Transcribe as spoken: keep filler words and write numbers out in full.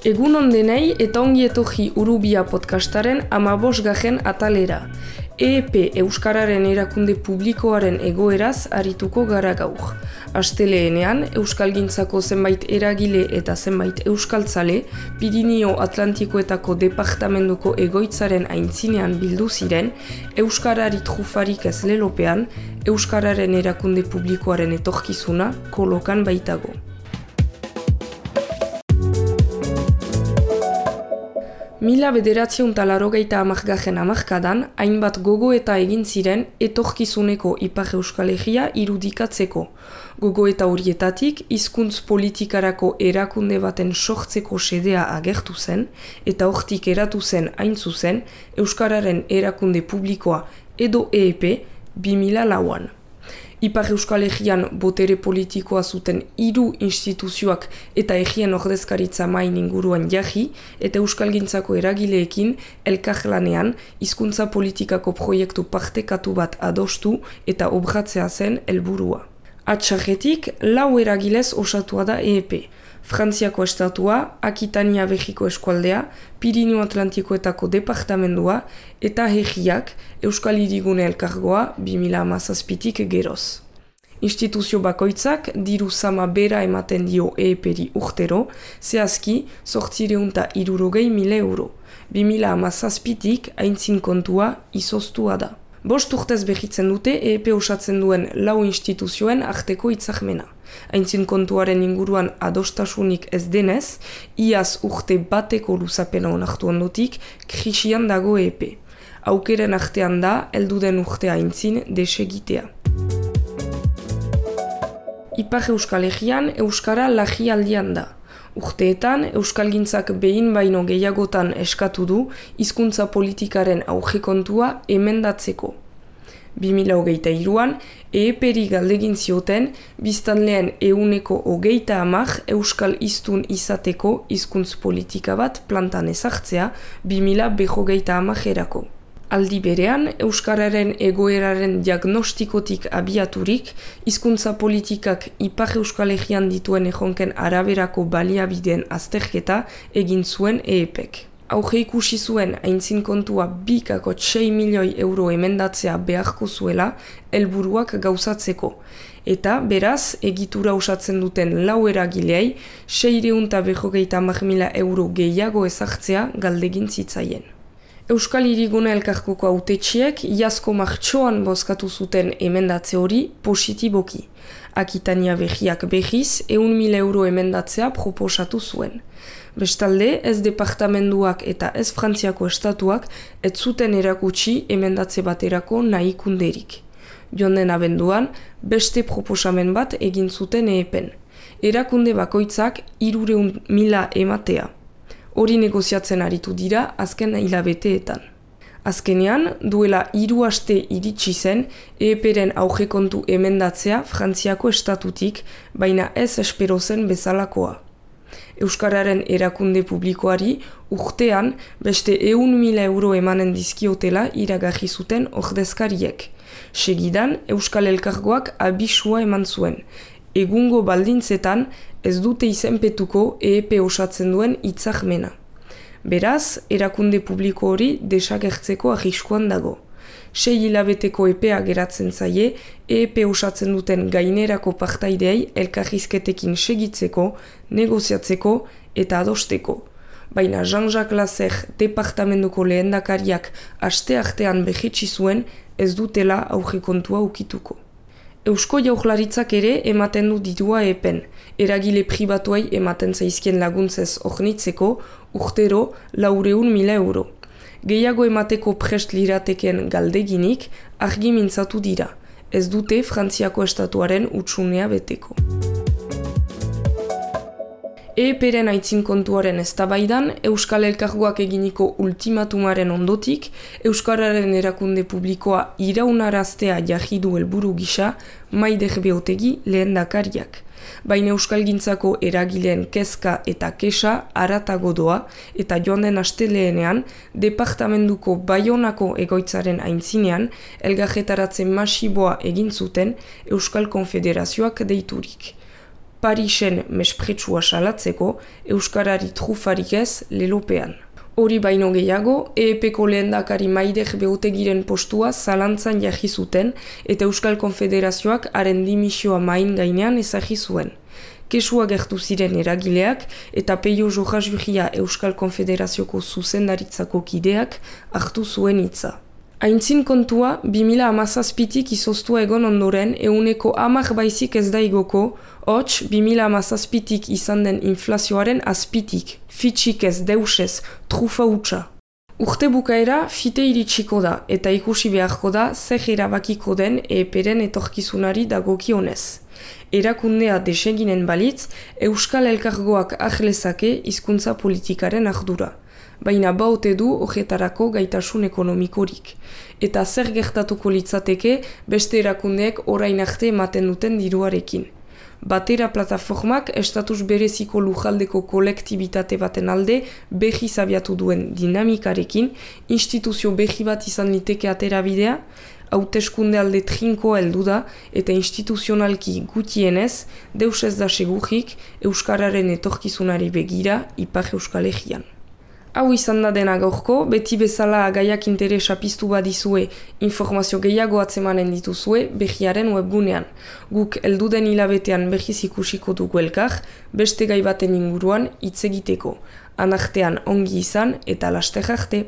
Egun ondenei eta ongi etorri Urubia podcastaren hamabosgarren atalera. E E P Euskararen erakunde publikoaren egoeraz arituko gara gaur. Asteleenean, Euskalgintzako zenbait eragile eta zenbait euskaltzale, Pirinio Atlantikoetako departamentuko egoitzaren aintzinean bildu ziren, Euskarari trufarik ez lelopean, Euskararen erakunde publikoaren etorkizuna kolokan baitago. Mila bederatziehun eta laurogeita hamargarren hamarkadan, hainbat gogoeta egin ziren etorkizuneko Ipar Euskal Herria irudikatzeko. Gogoeta horietatik, hizkuntz politikarako erakunde baten sortzeko xedea agertu zen, eta hortik eratu zen hain zuzen, Euskararen erakunde publikoa edo E E P bi mila lauan. Ipar Euskal Herrian botere politikoa zuten hiru instituzioak eta herrien ordezkaritza main inguruan jarri eta Euskalgintzako eragileekin elkarlanean hizkuntza politikako proiektu partekatu bat adostu eta obratzea zen helburua. Atsarretik, lau eragilez osatua da E E P. Frantziako estatua, Akitania Berriko eskualdea, Pirinio Atlantikoetako departamendua eta herriak Euskal Hirigune Elkargoa bi mila hamazazpitik geroz. Instituzio bakoitzak diru sama bera ematen dio E E P-ri urtero, zehazki zortziehun eta hirurogei mila euro. bi mila hamazazpitik aintzin kontua izoztua da. Bost urtez behitzen dute E E P osatzen duen lau instituzioen arteko hitzarmena. Aintzin kontuaren inguruan adostasunik ez denez, iaz urte bateko luzapena onartu ondotik, krisian dago E E P. Aukeren artean da, helduden urtea aintzin desegitea. Ipar Euskal Herrian Euskara larrialdian da. Urteetan, Euskalgintzak behin baino gehiagotan eskatu du hizkuntza politikaren aurrekontua emendatzeko. bi mila hogeita hiruan, E E P-ri galdegin zioten, biztanleen ehuneko hogeita hamar euskal hiztun izateko hizkuntz politika bat plantan ezartzea bi mila berrogeita hamarerako. Aldi berean, Euskararen egoeraren diagnostikotik abiaturik, hizkuntza politikak Ipar Euskal Herrian dituen erronken araberako baliabideen azterketa egin zuen E E P-ek. Auge ikusi zuen aintzin kontua bi koma sei milioi euro emendatzea beharko zuela helburuak gauzatzeko. Eta, beraz, egitura osatzen duten lau eragilei seiehun eta berrogeita hamar mila euro gehiago ezartzea galdegin zitzaien. Euskal Hirigune Elkargoko hautetsiek iazko martxoan bozkatu zuten emendatze hori positiboki. Akitania Berriak berriz ehun mila euro emendatzea proposatu zuen. Bestalde, ez departamenduak eta ez Frantziako estatuak ez zuten erakutsi emendatze baterako nahikunderik. Joan den abenduan, beste proposamen bat egin zuten E E P-en. Erakunde bakoitzak hirurehun mila ematea. Hori negoziatzen aritu dira azken hilabeteetan. Azkenean, duela hiru aste iritsi zen E E P-ren aurrekontu emendatzea Frantziako estatutik, baina ez espero zen bezalakoa. Euskararen erakunde publikoari urtean beste ehun mila euro emanen dizkiotela iragarri zuten ordezkariek. Segidan, Euskal Elkargoak abisua eman zuen. Egungo baldintzetan ez dute izenpetuko E E P osatzen duen hitzarmena. Beraz, erakunde publiko hori desagertzeko arriskuan dago. Sei hilabeteko epea geratzen zaie, E E P osatzen duten gainerako partaideei elkarrizketekin segitzeko, negoziatzeko eta adosteko. Baina Jean-Jacques Lasser departamentuko lehendakariak aste artean behitsi zuen ez dutela aurrekontua ukituko. Eusko Jaurlaritzak ere ematen du dirua E E P-en, eragile pribatuei ematen zaizkien laguntzez ornitzeko urtero laurehun mila euro. Gehiago emateko prest lirateken galdeginik argi mintzatu dira, ez dute Frantziako estatuaren utsunea beteko. E E P-ren aitzin kontuaren eztabaidan, Euskal Elkargoak eginiko ultimatumaren ondotik, Euskararen erakunde publikoa iraunaraztea jarri du helburu gisa Maider Beotegi lehendakariak. Baina Euskalgintzako eragileen kezka eta kesa haratago doa eta joan den asteleenean departamentuko Baionako egoitzaren aintzinean elgarretaratze masiboa egin zuten Euskal Konfederazioak deiturik. Parisen mespretsua salatzeko, euskarari trufarik ez lelopean. Hori baino gehiago, E E P-ko lehendakari Maider Beotegiren postua zalantzan jarri zuten eta Euskal Konfederazioak haren dimisioa main gainean ezagri zuen. Kesua gertu ziren eragileak eta Peio Jojajuria Euskal Konfederazioko zuzendaritzako kideak hartu zuen hitza. Aintzin kontua, bi mila hamazazpitik izoztua egon ondoren ehuneko hamar baizik ez da igoko, hots bi mila hamazazpitik izan den inflazioaren azpitik, fitxik ez deusez, trufa hutsa. Urte bukaera fite iritsiko da eta ikusi beharko da zer erabakiko den E E P-ren etorkizunari dagokionez. Erakundea deseginen balitz, Euskal Elkargoak ahlezake hizkuntza politikaren ardura. Baina baute du horretarako gaitasun ekonomikorik. Eta zer gertatuko litzateke beste erakundeek orain arte ematen duten diruarekin. Batera plataformak estatus bereziko lujaldeko kolektibitate baten alde behi zabiatu duen dinamikarekin, instituzio behi bat izan liteke aterabidea, hauteskunde alde trinkoa heldu da eta instituzionalki gutienez, deus ez da segurik Euskararen etorkizunari begira Ipar Euskal Herrian. Hau izan da dena gaurko, beti bezala gaiak interesa piztu badizue informazio gehiago atzemanen dituzue behiaren webgunean. Guk elduden hilabetean behiz ikusiko dugu elkar, beste gai baten inguruan hitz egiteko. Anartean ongi izan eta laster arte.